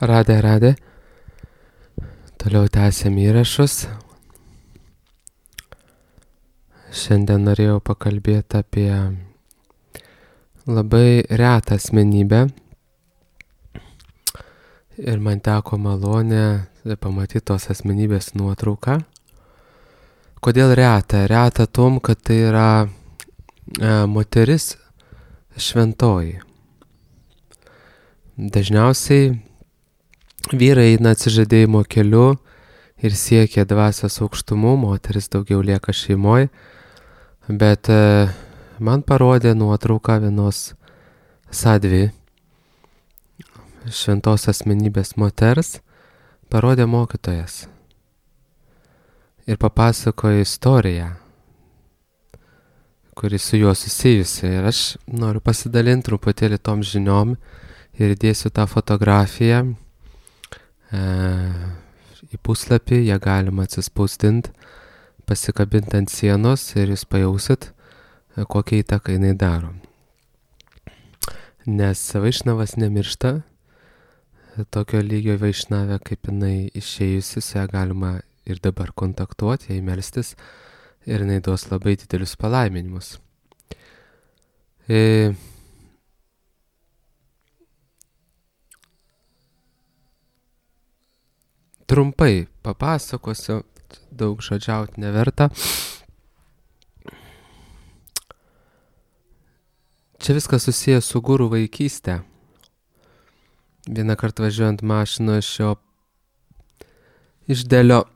Radė. Toliau tęsiam įrašus. Šiandien norėjau pakalbėti apie labai retą asmenybę. Ir man teko malonė pamatyti tos asmenybės nuotrauką. Kodėl reta? Reta tom, kad tai yra moteris šventoji. Dažniausiai vyrai eina atsižadėjimo keliu ir siekia dvasios aukštumų, moteris daugiau lieka šeimoje, bet man parodė nuotrauką vienos sadvi šventos asmenybės moters, parodė mokytojas ir papasakojo istoriją, kuri su juo susijusi. Ir aš noriu pasidalinti truputėlį tom žiniom ir įdėsiu tą fotografiją į puslapį, ją galima atsispausdinti, pasikabinti ant sienos ir jūs pajausit, kokią įtaką jinai daro. Nes vaišnavas nemiršta, tokio lygio vaišnavė, kaip jinai išėjusi, su ją galima ir dabar kontaktuoti, jai melstis ir jinai duos labai didelius palaiminimus. Trumpai papasakosiu, daug žodžiauti neverta. Čia viskas susijęs su guru vaikystė. Vieną kartą važiuojant mašino iš Delio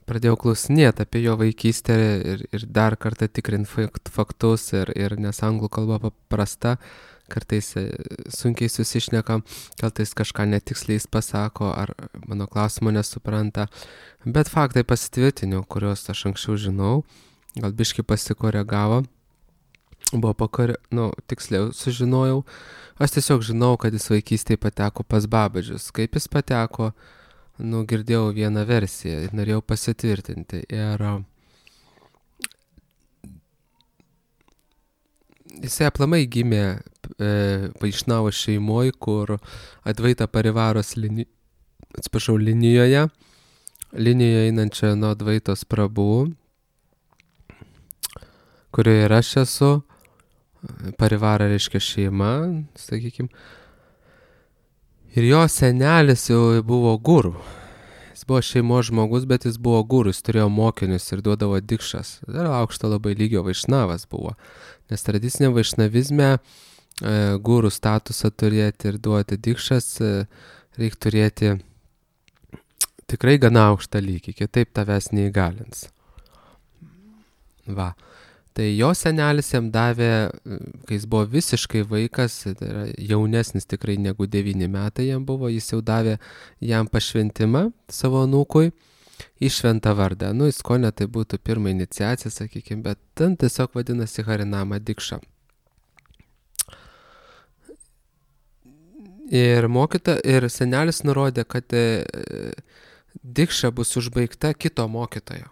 pradėjau klausinėti apie jo vaikystę ir dar kartą tikrinti faktus ir nes anglų kalba paprasta, kartais sunkiai susišnekam, kartais kažką netiksliai jis pasako ar mano klausimo nesupranta, bet faktai pasitvirtiniu, kuriuos aš anksčiau žinau, gal biškį pasikoregavo, tiksliau sužinojau, aš tiesiog žinau, kad jis vaikystėje pateko pas Babažius, kaip jis pateko, girdėjau vieną versiją ir norėjau pasitvirtinti. Ir jisai aplamai gimė Vaišnavo šeimoje, kur Advaita Parivaros linijoje einančia nuo Advaitos Prabhu, kurioje ir aš esu. Parivara reiškia šeima, sakykim. Ir jo senelis jau buvo guru. Jis buvo šeimos žmogus, bet jis buvo guru, jis turėjo mokinius ir duodavo dikšas. Ir aukšto labai lygio vaišnavas buvo. Nes tradicinė vaišnavizme guru statusą turėti ir duoti dikšas, reikia turėti tikrai gana aukštą lygį, kitaip tavęs neįgalins. Va. Tai jo senelis jam davė, kai jis buvo visiškai vaikas, tai yra jaunesnis tikrai negu 9 metai jam buvo, jis jau davė jam pašventimą savo anūkui į šventą vardą. Į skonę tai būtų pirma iniciacija, sakykime, bet ten tiesiog vadinasi Harinama Dikša. Ir senelis nurodė, kad Dikša bus užbaigta kito mokytojo.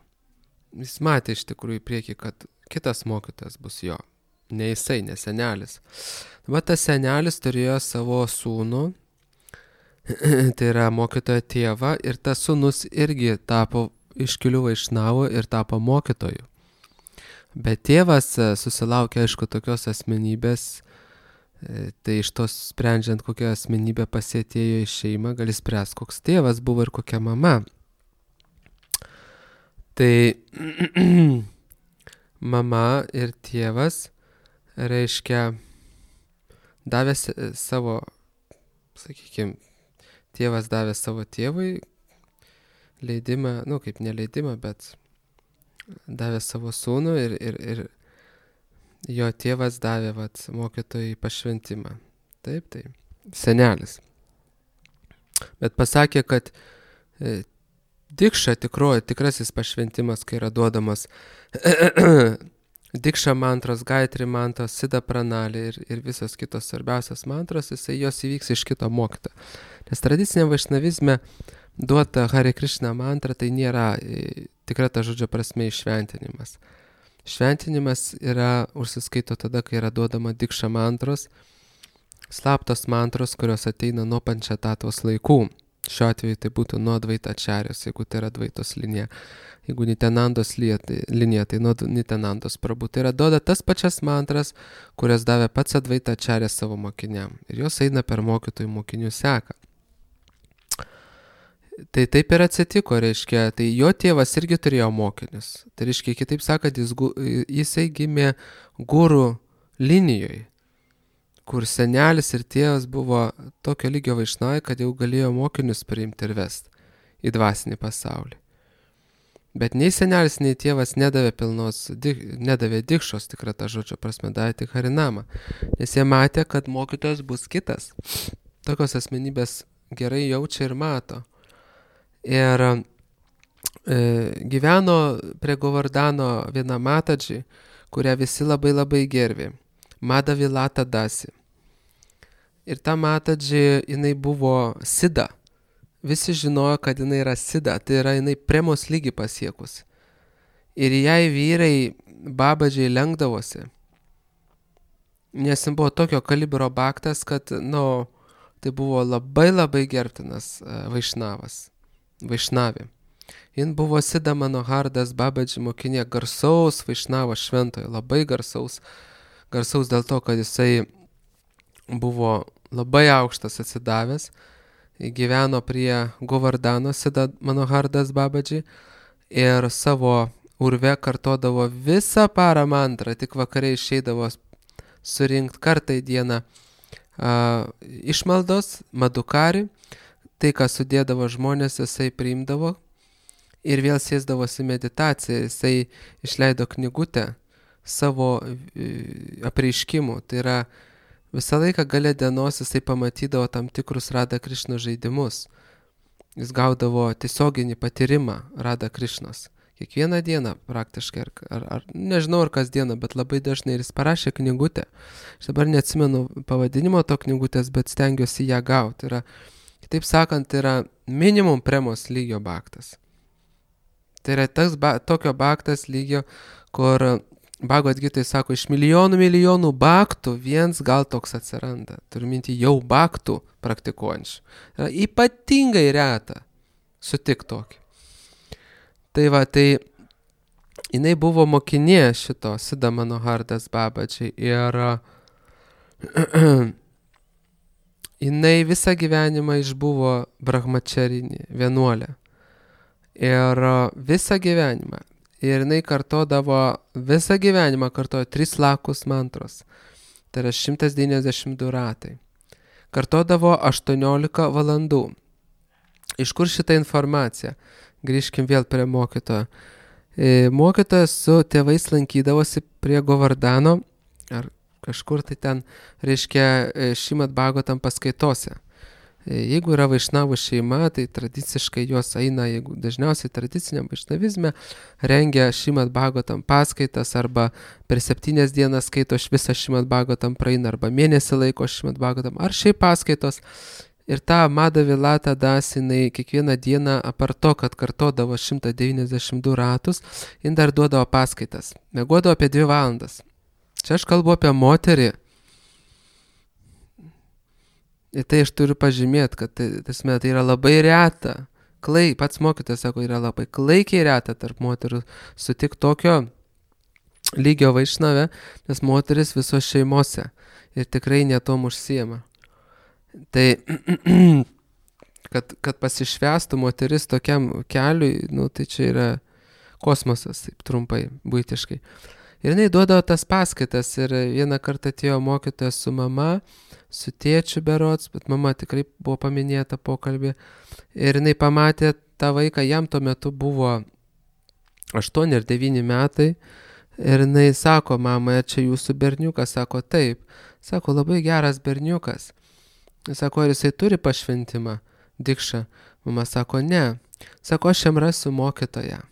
Jis matė iš tikrųjų į priekį, kad kitas mokytojas bus jo, ne jisai, ne senelis. Bet tas senelis turėjo savo sūnų, tai yra mokytojo tėvą, ir tas sūnus irgi tapo iškilių vaišnavų ir tapo mokytoju. Bet tėvas susilaukė, aišku, tokios asmenybės, tai iš tos sprendžiant, kokią asmenybę pasėtėjo į šeimą, gali spręsti, koks tėvas buvo ir kokia mama. Tai mama ir tėvas, reiškia, davė savo, sakykime, tėvas davė savo tėvui leidimą, kaip neleidimą, bet davė savo sūnų ir jo tėvas davė mokytojai pašventimą. Taip, senelis. Bet pasakė, kad Dikša tikrasis pašventimas, kai yra duodamas Dikša mantros, Gaitri mantros, Sida pranali ir visos kitos svarbiausios mantros, jos įvyks iš kito mokytojo. Nes tradicinė vaišnavizme duota Hare Krishna mantra, tai nėra tikra ta žodžio prasme iššventinimas. Šventinimas yra užsiskaito tada, kai yra duodama Dikša mantros, slaptos mantros, kurios ateina nuo pančetatos laikų. Šiuo atveju tai būtų nuo Dvaitačarijos, jeigu tai yra Dvaitos linija. Jeigu Nitenandos linija, tai nuo Nitenandos prabų. Tai yra duoda tas pačias mantras, kurias davė pats Advaitačarė savo mokiniam. Ir jos eina per mokytojų mokinių seką. Tai taip ir atsitiko, reiškia, tai jo tėvas irgi turėjo mokinius. Tai reiškia, kitaip sakant, jisai gimė gurų linijoje, kur senelis ir tėvas buvo tokio lygio vaišnavai, kad jau galėjo mokinius priimti ir vesti į dvasinį pasaulį. Bet nei senelis, nei tėvas nedavė dikšos, tikrą tą žodžio prasme, davė tik harinamą, nes jie matė, kad mokytojas bus kitas. Tokios asmenybės gerai jaučia ir mato. Ir gyveno prie Govardano viena Matadži, kurią visi labai labai gerbė. Madavilata Dasi. Ir ta Matadži, jinai buvo sida. Visi žinojo, kad jinai yra sida, tai yra jinai premos lygį pasiekus. Ir jai vyrai babadžiai lenkdavosi. Nes jis buvo tokio kalibro baktas, kad, tai buvo labai labai gerbtinas vaišnavė. Jin buvo Sida Manohardas babadži mokinė, garsaus vaišnavo šventojo, labai garsaus dėl to, kad jisai buvo labai aukštas atsidavęs, gyveno prie Govardano Sida Manohardas babadži ir savo urve kartodavo visą parą mantrą, tik vakare išeidavo surinkti kartą į dieną išmaldos, madukari, tai, ką sudėdavo žmonės, jisai priimdavo ir vėl sėsdavosi meditaciją, jisai išleido knygutę savo apreiškimų, tai yra visą laiką gale dienos jisai pamatydavo tam tikrus Rada Krišnos žaidimus, jis gaudavo tiesioginį patyrimą Rada Krišnos. Kiekvieną dieną praktiškai, ar nežinau ar kasdieną, bet labai dažnai ir jis parašė knygutę. Aš dabar neatsimenu pavadinimo to knygutės, bet stengiuosi ją gauti. Kitaip sakant, yra minimum premos lygio baktas. Tai yra tokio baktas lygio, kur Bhagavad Gitoj sako, iš milijonų baktų viens gal toks atsiranda. Turiu minti jau baktų praktikuojančių. Yra ypatingai reta sutik tokį. Tai jinai buvo mokinė šito Sida Manohardas babadži ir jinai visą gyvenimą išbuvo brahmačarinė, vienuolė. Ir visą gyvenimą. Ir jinai visą gyvenimą kartojo 3 lakus mantros. Tai yra 192 ratai. Kartodavo 18 valandų. Iš kur šitą informaciją? Grįžkim vėl prie mokytojo. Mokytojas su tėvais lankydavosi prie Govardano, ar kažkur tai ten, reiškia, Šrimad Bhagavatam paskaitose. Jeigu yra vaišnavų šeima, tai tradiciškai jos eina, jeigu dažniausiai tradiciniam vaišnavizme, rengia Šrimad Bhagavatam paskaitas, arba per 7 dienas skaito visą Šrimad Bhagavatam praeina, arba mėnesį laiko Šrimad Bhagavatam, ar šiaip paskaitos. Ir ta Madavilata Dasi, jinai kiekvieną dieną, apart to, kad kartodavo 192 ratus, jin dar duodavo paskaitas. Miegodavo apie 2 valandas. Čia aš kalbu apie moterį. Ir tai aš turiu pažymėti, kad tai yra labai reta. Pats mokytojas sako, yra labai klaikiai reta tarp moterų sutik tokio lygio vaišnave, nes moteris visos šeimose ir tikrai netom užsiema. Tai, kad pasišvestų moteris tokiam keliui, tai čia yra kosmosas, taip trumpai, buitiškai. Ir jinai duodavo tas paskaitas ir vieną kartą atėjo mokytojas su mama, su tėčiu berods, bet mama tikrai buvo paminėta pokalbį. Ir jinai pamatė tą vaiką, jam tuo metu buvo 8 ar 9 metai. Ir jinai sako, mama, čia jūsų berniukas, sako, taip. Sako, labai geras berniukas. Sako, ar jisai turi pašventimą, dikšą? Mama sako, ne. Sako, aš jam rasiu mokytoją.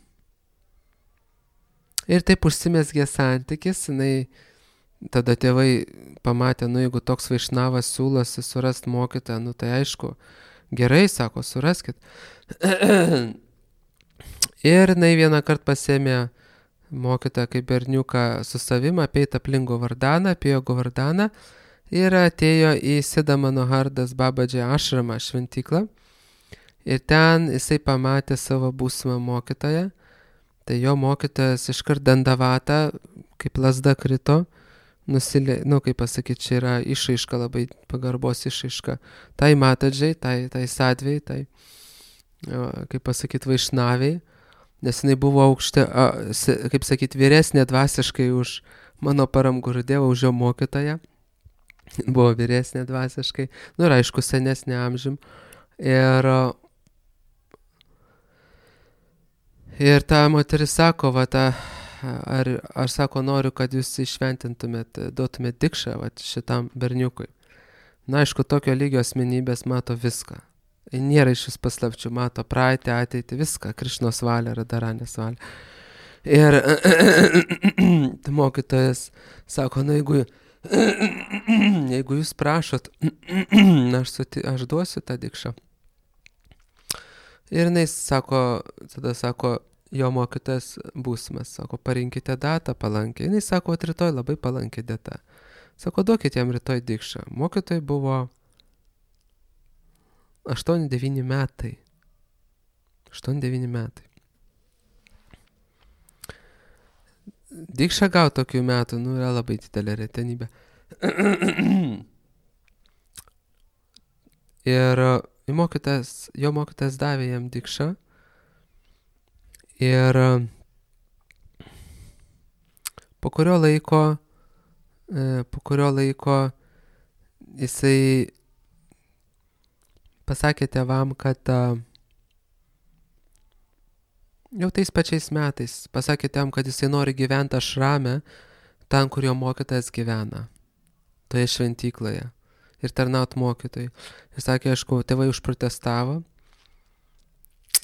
Ir taip užsimezgė santykis, jinai tada tėvai pamatė, jeigu toks vaišnavas siūlosi surasti mokytoją, tai aišku, gerai, sako, suraskit. Ir jinai vieną kartą pasėmė mokytoją kaip berniuką su savim, apeit aplink Govardaną, apėjo Govardaną. ir atėjo į Siddha Manohardas Babadži ašramą šventyklą. Ir ten jisai pamatė savo būsimą mokytoją. Tai jo mokytojas iškart Dandavata, kaip lazda krito, kaip pasakyti, čia yra išraiška, labai pagarbos išraiška. Tai Matadžiai, tai Sadviai, tai, kaip pasakyti, Vaišnaviai, nes jinai buvo kaip sakyti, vyresnė dvasiškai už mano Param Gurudevą, už jo mokytoją. Buvo vyresnė dvasiškai, ir aišku, senesnė amžium. Ir ta moteris sako, ar sako, noriu, kad jūs išventintumėt, duotumėt dikšą šitam berniukui. Aišku, tokio lygio asmenybės mato viską. Nėra iš vis paslapčių, mato praeitį, ateitį, viską, Krišnos valią, Radharanės valią. Ir mokytojas sako, jeigu jūs prašot, aš duosiu tą dikšą. Ir jinai tada sako, jo mokytojas būsimas, sako, parinkite datą palankiai. Jinai sako, rytoj labai palankiai data. Sako, duokit jam rytoj dikšą. Mokytojai buvo 8-9 metai. 8-9 metai. Dikšą gauti tokių metų, yra labai didelė retenybė. Ir jo mokytojas davė jam dikšą. Ir po kurio laiko jisai pasakė tėvam, kad jau tais pačiais metais pasakė tėvam, kad jisai nori gyventi ašrame, ten, kur jo mokytojas gyvena, toje šventykloje, ir tarnaut mokytojui. Ir sakė, aišku, tėvai užprotestavo,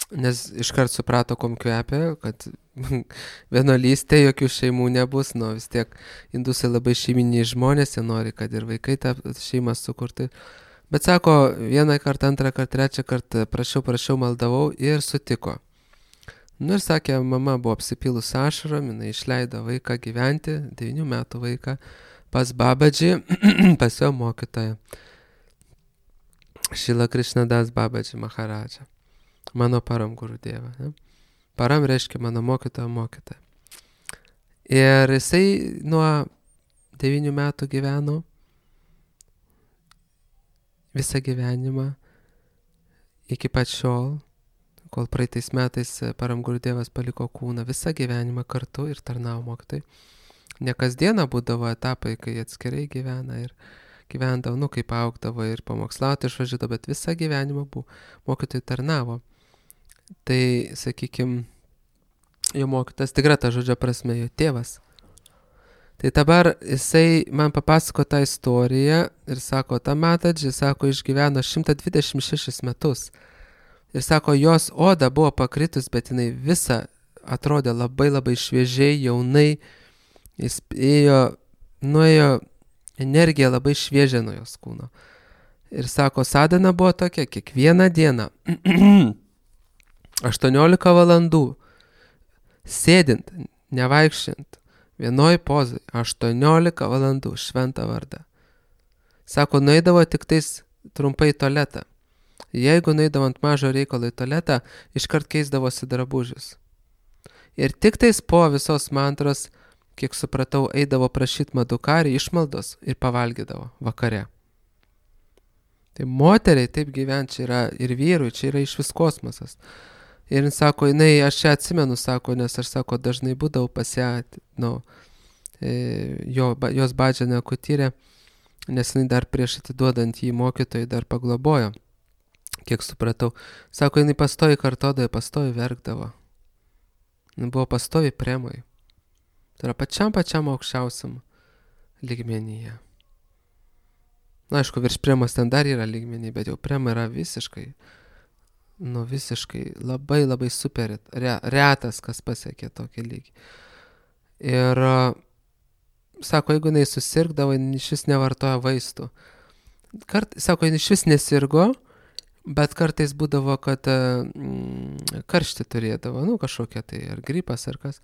nes iškart suprato, kom kvepia, kad vienuolystė jokių šeimų nebus, vis tiek indusai labai šeiminiai žmonės, jie nori, kad ir vaikai tą šeimą sukurti. Bet sako, vieną kartą, antrą kartą, trečią kartą prašiau, maldavau ir sutiko. Ir sakė, mama buvo apsipilus ašarom, jinai išleido vaiką gyventi, 9 metų vaiką, pas Babadži, pas jo mokytoją. Šrila Krišnadas Babadži Maharadža. Mano Param Gurudeva. Ne? Param reiškia mano mokytoja. Ir jisai nuo 9 metų gyveno visą gyvenimą iki pat šiol, kol praeitais metais Param Gurudevas paliko kūną, visą gyvenimą kartu ir tarnavo mokytojai. Ne kasdieną būdavo etapai, kai atskirai gyvena ir gyvendavo, kaip augdavo ir pamokslauti išvažiuodavo, bet visą gyvenimą mokytojai tarnavo. Tai, sakykime, jo mokytas tikra ta žodžio prasme, jo tėvas. Tai dabar jisai man papasako tą istoriją ir sako, ta Matadži, sako, išgyveno 126 metus. Ir sako, jos oda buvo pakritus, bet jinai visa atrodė labai labai šviežiai, jaunai. Jis nuėjo energija labai šviežia nuo jos kūno. Ir sako, sadhana buvo tokia, kiekvieną dieną 18 valandų sėdint, nevaikščiant, vienoj pozai, 18 valandų šventą vardą. Sako, nueidavo tik tais trumpai į tualetą. Jeigu nueidavo ant mažo reikalo į tualetą, iškart keisdavosi drabužius. Ir tik tais po visos mantros, kiek supratau, eidavo prašyti madukari išmaldos ir pavalgydavo vakare. Tai moteriai taip gyventi čia yra ir vyrui, čia yra iš vis kosmosas. Ir jis sako, aš čia atsimenu, sako, nes aš, sako, dažnai būdavau pas ją, jos badžianę kutyrę, nes jinai dar prieš atiduodant jį mokytojai dar paglobojo, kiek supratau. Sako, jinai pastovi kartodavo, pastovi verkdavo. Jinai buvo pastovi premoj. Tai yra pačiam aukščiausiam lygmenyje. Na, aišku, virš premos ten dar yra lygmenį, bet jau prema yra visiškai labai labai super retas, kas pasiekė tokį lygį. Ir sako, jeigu jinai susirgdavo, jinai iš vis nevartoja vaistų. Sako, jinai iš vis nesirgo, bet kartais būdavo, kad karštį turėdavo, kažkokia tai ar gripas ar kas.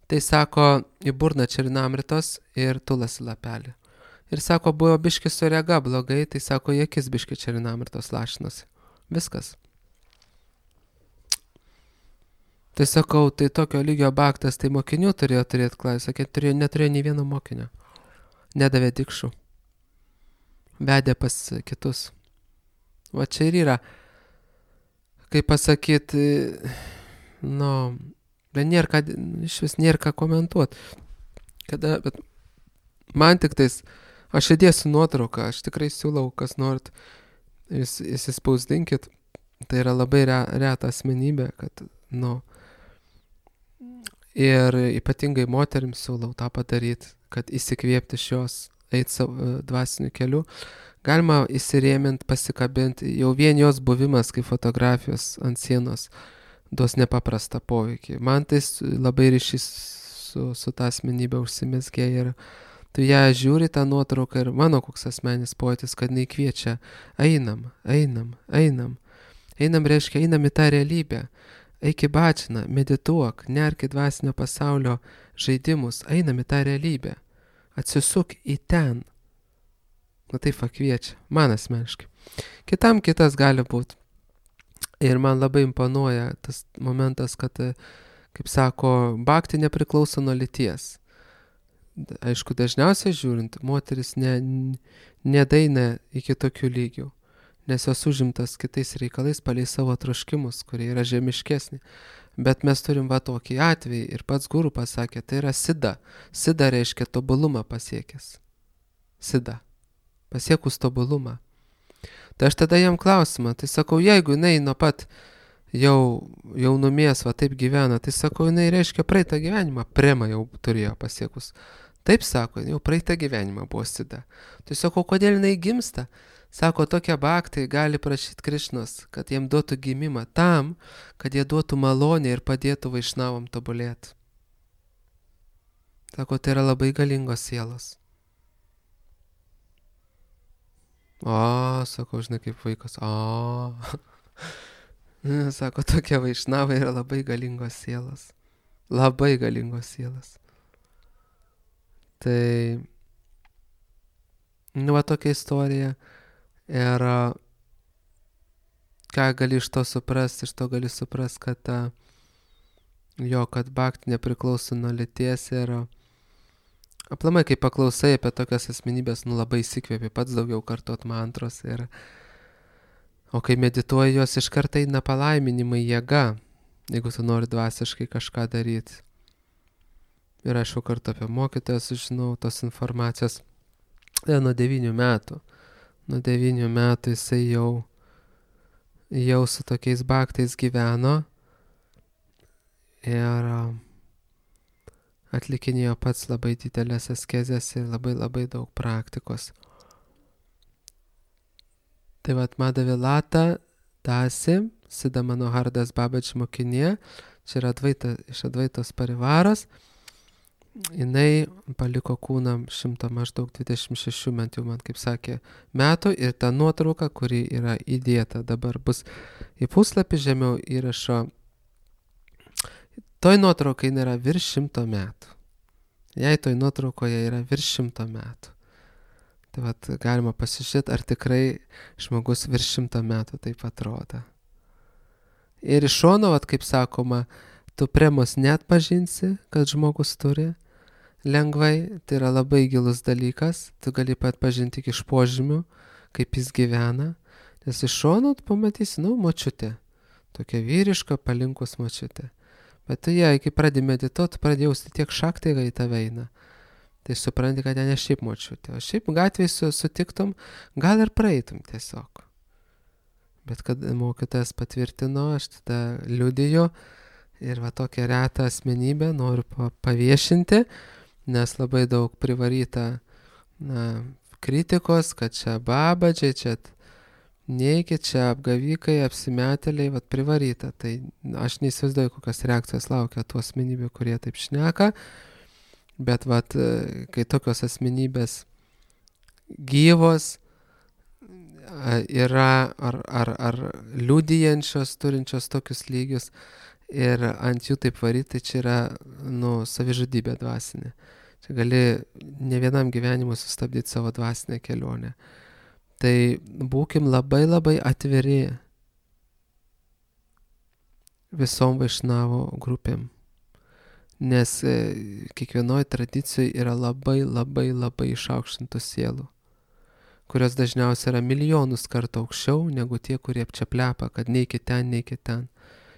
Tai sako, į burną čerinamritos ir tulasi lapelį. Ir sako, buvo biški su rega blogai, tai sako, į akis biški čerinam ir tos lašinosi. Viskas. Tai sakau, tai tokio lygio baktas, tai mokinių turėjo turėti klasę. Sakė, neturėjo nei vieno mokinio. Nedavė dikšų. Vedė pas kitus. Va čia ir yra. Kaip pasakyti, nėra ką, iš vis nėra ką komentuoti. Bet man tik tais, aš įdėsiu nuotrauką, aš tikrai siūlau, kas norit, įsispausdinkit. Tai yra labai reta asmenybė, kad, ir ypatingai moterims siūlau tą padaryti, kad įsikvėpti iš jos, eiti savo dvasiniu keliu. Galima įsirėminti, pasikabinti, jau vien jos buvimas kaip fotografijos ant sienos duos nepaprastą poveikį. Man tai labai ryšys su ta asmenybė užsimezgė ir tu ją žiūri tą nuotrauką ir mano koks asmenis pojūtis, kad jinai kviečia, einam, reiškia, einam į tą realybę. Eik į bačiną, medituok, nerk į dvasinio pasaulio žaidimus, einam į tą realybę. Atsisuk į ten. Taip kviečia, man asmeniškai. Kitam kitas gali būti. Ir man labai imponuoja tas momentas, kad, kaip sako, bhakti nepriklauso nuo lyties. Aišku, dažniausiai žiūrint, moteris nedaina iki tokių lygių. Nes jos užimtas kitais reikalais palei savo troškimus, kurie yra žemiškesni. Bet mes turim tokį atvejį ir pats guru pasakė, tai yra sida. Sida reiškia tobulumą pasiekęs. Sida. Pasiekus tobulumą. Tai aš tada jam klausimą, tai sakau, jeigu jinai nuo pat jaunumės taip gyvena, tai sakau, jinai reiškia praeitą gyvenimą, prema jau turėjo pasiekus. Taip sako, jau praeitą gyvenimą buvo sida. Tai sakau, kodėl jinai gimsta? Sako, tokie bhaktai gali prašyti Krišnos, kad jiem duotų gimimą tam, kad jie duotų malonę ir padėtų vaišnavom tobulėti. Sako, tai yra labai galingos sielos. Sako, žinai, kaip vaikas. Sako, tokie vaišnavai yra labai galingos sielos. Labai galingos sielos. Tai, tokia istorija. Ir ką gali iš to suprasti, gali suprasti, kad kad bhakti nepriklauso nuo lyties ir aplamai, kai paklausai apie tokias asmenybės, labai įsikvėpi pats daugiau kartot mantros o kai medituoji, jos iš karto eina palaiminimai jėga, jeigu tu nori dvasiškai kažką daryti. Ir aišku, kartu apie mokytoją sužinau tos informacijos nuo 9 metų. Nuo 9 metų jisai jau su tokiais bhaktais gyveno ir atlikinėjo pats labai didelės askezės ir labai daug praktikos. Tai Madhavilata Dasi, Siddha Manohardas Babaji mokinė, čia yra iš Advaitos parivaros. Jinai paliko kūną 126 man kaip sakė, metų ir ta nuotrauka, kuri yra įdėta, dabar bus į puslapį žemiau įrašo. Toj nuotraukai yra virš 100 metų. Jei toj nuotraukoje yra virš 100 metų. Tai galima pasižiūrėti, ar tikrai žmogus virš 100 metų taip atrodo. Ir iš šono, kaip sakoma, tu premos neatpažinsi, kad žmogus turi. Lengvai, tai yra labai gilus dalykas, tu gali atpažinti tik iš požymių, kaip jis gyvena, nes iš šono tu pamatysi, močiutė, tokia vyriška, palinkus močiutė. Bet tu kai pradedi medituoti, pradedi jausti tiek šaktai į tave eina. Tai supranti, kad ne šiaip močiutė, o šiaip gatvėje sutiktum, gal ir praeitum tiesiog. Bet kad mokytojas patvirtino, aš tada liudiju ir tokią retą asmenybę noriu paviešinti, nes labai daug privaryta kritikos, kad čia babadžiai, čia neikit, čia apgavikai, apsimetėliai, privaryta. Tai aš neįsivaizduoju, kokios reakcijos laukia tų asmenybių, kurie taip šneka, bet kai tokios asmenybės gyvos yra ar liudijančios, turinčios tokius lygius, ir ant jų taip varyti, tai čia yra savižudybė dvasinė. Čia gali ne vienam gyvenimui sustabdyti savo dvasinę kelionę. Tai būkim labai labai atviri visom Vaišnavo grupėm. Nes kiekvienoje tradicijoje yra labai labai labai išaukštintų sielų, kurios dažniausiai yra milijonus kartų aukščiau negu tie, kurie čia plepa, kad neikit ten, neikit ten.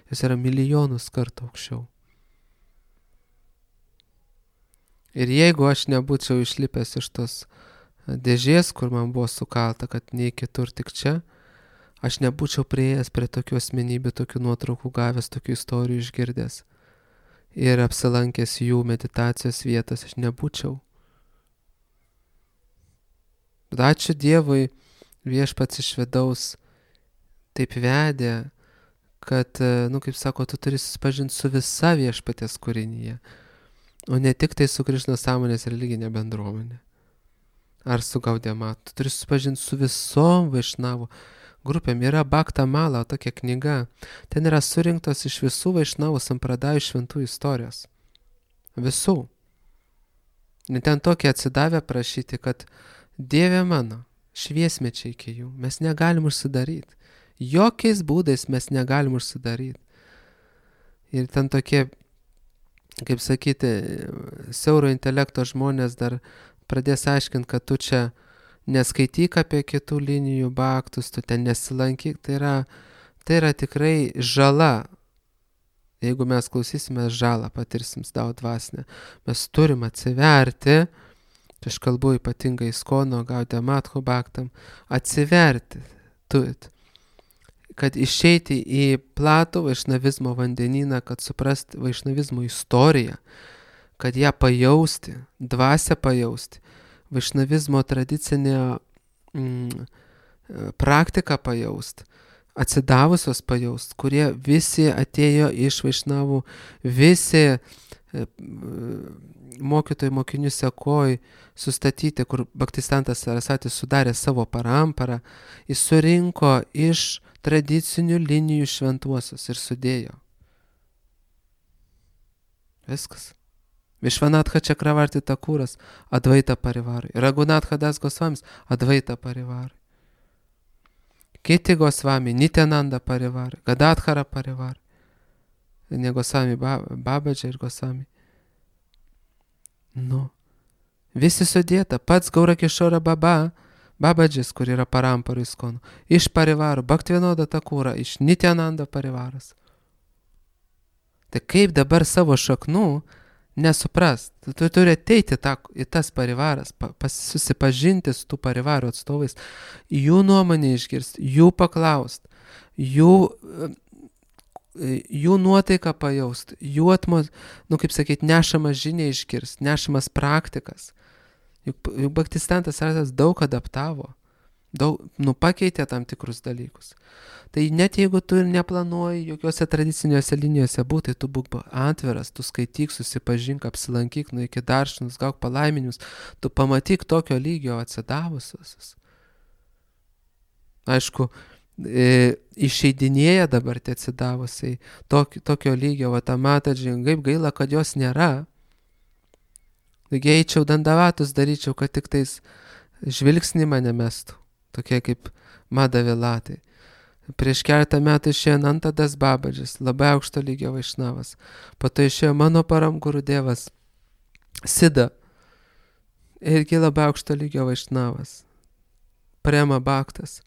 Jos yra milijonus kartų aukščiau. Ir jeigu aš nebūčiau išlipęs iš tos dėžės, kur man buvo sukalta, kad nei kitur tik čia, aš nebūčiau prieėjęs prie tokių asmenybių, tokių nuotraukų gavęs, tokių istorijų išgirdęs ir apsilankęs jų meditacijos vietos, aš nebūčiau. Bet ačiū Dievui, Viešpats iš vidaus taip vedė, kad, kaip sako, tu turi susipažinti su visa Viešpaties kūrinyje, o ne tik tai su Krišnos sąmonės religinė bendruomenė. Ar su Gaudiamatu. Tu turi susipažinti su visom Vaišnavų grupėm. Yra Bhakta Mala, tokia knyga. Ten yra surinktos iš visų Vaišnavų sampradajų šventų istorijos. Visų. Ir ten tokie atsidavę prašyti, kad Dieve mano, šviesmečiai iki jų, mes negalim užsidaryti. Jokiais būdais mes negalim užsidaryti. Ir ten tokie, kaip sakyti, siauro intelekto žmonės dar pradės aiškinti, kad tu čia neskaityk apie kitų linijų baktus, tu ten nesilankyk. Tai yra tikrai žala. Jeigu mes klausysime žalą, patirsim daug dvasinę. Mes turim atsiverti, aš kalbu ypatingai Iskono, Gaudiamatho baktam, atsiverti turit, kad išeiti į platų vaišnavizmo vandenyną, kad suprast vaišnavizmo istoriją, kad ją pajausti, dvasią pajausti, vaišnavizmo tradicinę praktiką pajausti, atsidavusios pajausti, kurie visi atėjo iš Vaišnavų, visi mokytojai mokinių sekoj sustatyti, kur Bhaktistantas Sarasatis sudarė savo paramparą, jis surinko iš tradicinių linijų šventuosius ir sudėjo. Viskas. Vishvanatha Chakravarti Thakuras Advaita Parivarai, Raghunatha Das Gosvamis Advaita Parivarai, kiti Gosvami Nityananda Parivarai, Gadadhara Parivarai, ne Gosvami Babaji ir Gosvami. Visi sudėta, pats Gaurakishora Babadžis, kur yra paramparų Iskono, iš Parivarų, Bhaktivinoda Thakura, iš Nityananda Parivaras. Tai kaip dabar savo šaknų nesuprast? Tu turi ateiti į tas Parivaras, susipažinti su tų Parivarų atstovais, jų nuomonę išgirsti, jų paklaust, jų nuotaiką pajaust, jų kaip sakyti, nešamas žinia išgirsti, nešamas praktikas. Juk Bhaktistantas Sarasatis daug adaptavo, pakeitė tam tikrus dalykus. Tai net jeigu tu neplanuoji jokiose tradiciniuose linijose būti, tu būk atviras, tu skaityk, susipažink, apsilankyk, nueik į daršinus, gauk palaiminimus, tu pamatyk tokio lygio atsidavusius. Aišku, išeidinėja dabar tie atsidavusiai tokio lygio, Vatamataji, kaip gaila, kad jos nėra. Taigi eičiau Dandavatus daryčiau, kad tik tais žvilgsnį mane mestų, tokie kaip Madhavilatai. Prieš keletą metų išėjo Nantadas Babadžis, labai aukšto lygio Vaišnavas. Po to išėjo mano paramguru Dievas Sida, irgi labai aukšto lygio Vaišnavas. Prema Bhaktas.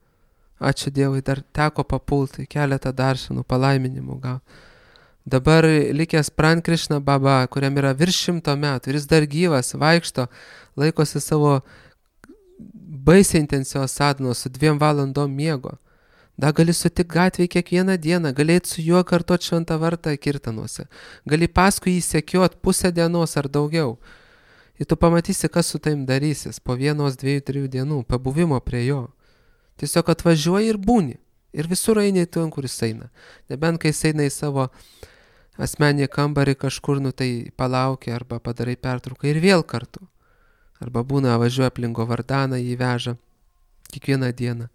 Ačiū Dievui, dar teko papulti, keletą daršanų, palaiminimų gauti. Dabar likęs Pran Krishna Baba, kuriam yra virš 100 metų ir jis dar gyvas, vaikšto, laikosi savo baisiai intensyvios sadhanos su 2 valandom miego. Da gali sutikti gatvėje kiekvieną dieną, gali eiti su juo kartuot šventą vartą kirtanuose, gali paskui jį sekiot pusę dienos ar daugiau. Ir tu pamatysi, kas su taim darysis po 1, 2, 3 dienų, pabuvimo prie jo. Tiesiog atvažiuoji ir būni. Ir visur eini ten, kur jis eina. Nebent kai jis eina į savo asmenį kambarį kažkur, tai palaukia arba padarai pertrauką ir vėl kartu. Arba būna, važiuoja aplink Govardaną, jį veža kiekvieną dieną.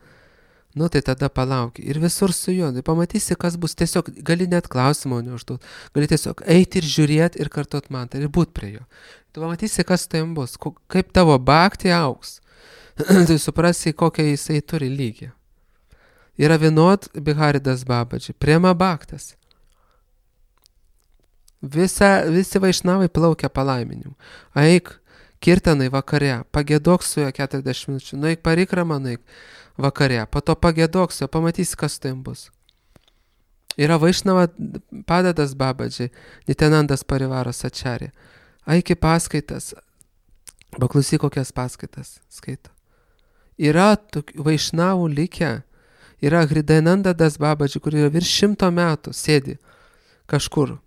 Tai tada palauki. Ir visur su juo. Tai pamatysi, kas bus. Tiesiog gali net klausimą neužduoti. Gali tiesiog eiti ir žiūrėti ir kartuot mantrą ir būt prie jo. Tu pamatysi, kas tai bus, kaip tavo bhakti auks. Tai suprasi, kokią jisai turi lygį. Yra Vinod Biharidas Babaji, Prema Bhaktas. Visi vaišnavai plaukia palaiminimu. Eik kirtanai vakare, pagėdok su juo 40 minučių, nueik parikramą, nueik vakare, po to pagėdok su juo, pamatysi, kas tai bus. Yra Vaišnava Padadas Babaji, Nityanandas Parivaras Acharya. Eik į paskaitas, paklausyk, kokias paskaitas skaito. Yra vaišnavų likę, yra Hridayanandas Babaji, kur yra virš 100 metų, sėdi kažkur,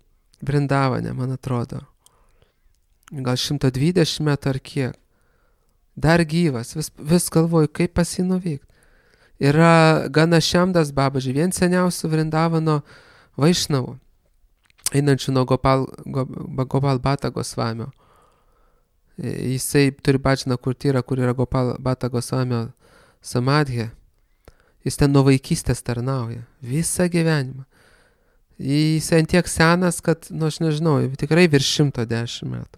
Vrindavane, man atrodo. Gal 120 metų ar kiek. Dar gyvas, vis galvoju, kaip pas jį nuvykti. Yra Ganashamdas Babaji, vien seniausių Vrindavano vaišnavų, einančių nuo Gopal Bhata Gosvamio. Jisai turi Bhajaną Kurtyrą, kur yra Gopal Bhata Gosvamio samadhė. Jis ten nuo vaikystės tarnauja, visą gyvenimą. Jis ant tiek senas, kad, aš nežinau, tikrai virš 110 metų.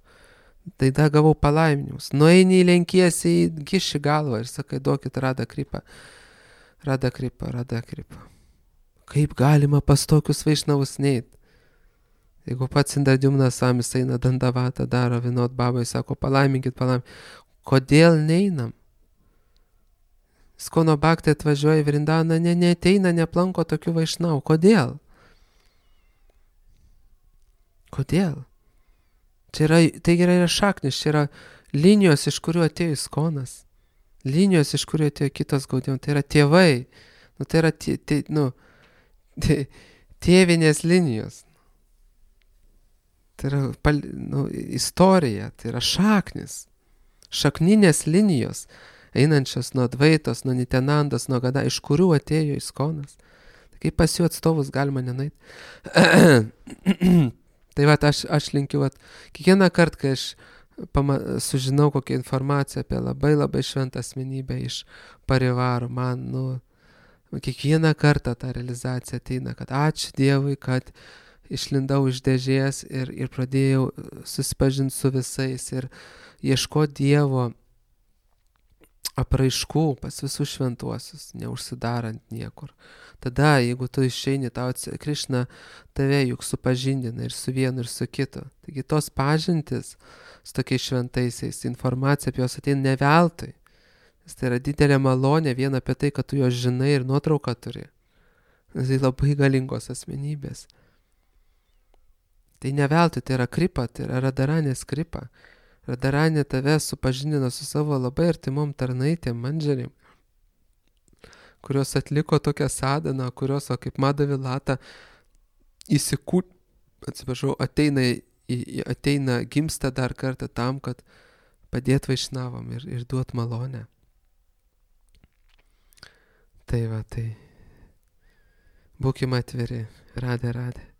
Tai da gavau palaiminimus. Nueini į lenkiesi, kiši galvą ir sakai, duokit Radha Kripą. Radha Kripą, Radha Kripą. Kaip galima pas tokius vaišnavus neit? Jeigu pats Indradyumnas Svamis eina Dandavatą, daro Vinod Babai, sako, palaiminkit. Kodėl neinam? Skono Bhakti atvažiuoja į Vrindaną, neateina, neplanko tokių vaišnavų. Kodėl? Kodėl? Tai yra šaknis, čia yra linijos, iš kurių atėjo Iskonas. Linijos, iš kurių atėjo kitos Gaudijon. Tai yra tėvai. Tai yra tėvinės linijos. Tai yra istorija, tai yra šaknis. Šakninės linijos, einančios nuo Dvaitos, nuo Nityanandos, nuo Gada, iš kurių atėjo Iskonas. Tai kaip pas jų atstovus galima nenait. Tai aš linkiu, kiekvieną kartą, kai aš sužinau kokią informaciją apie labai labai šventą asmenybę iš Parivarų, man, kiekvieną kartą ta realizacija ateina, kad ačiū Dievui, kad išlindau iš dėžės ir pradėjau susipažinti su visais ir ieškoti Dievo apraiškų pas visus šventuosius, neužsidarant niekur. Tada, jeigu tu išeini, Krišna tave juk supažindina ir su vienu, ir su kitu. Taigi tos pažintis su tokiais šventaisiais, informacija apie juos ateina ne veltui. Nes tai yra didelė malonė vien apie tai, kad tu juos žinai ir nuotrauką turi. Tai labai galingos asmenybės. Tai ne veltui, tai yra kripa, tai yra Radharanės kripa. Radharanė tave supažindina su savo labai artimom tarnaitėm, mandžarim, kurios atliko tokią sadhaną, kurios, kaip Madhavilata, ateina, gimsta dar kartą tam, kad padėt vaišnavam ir duot malonę. Tai būkime atviri. Radhe, Radhe.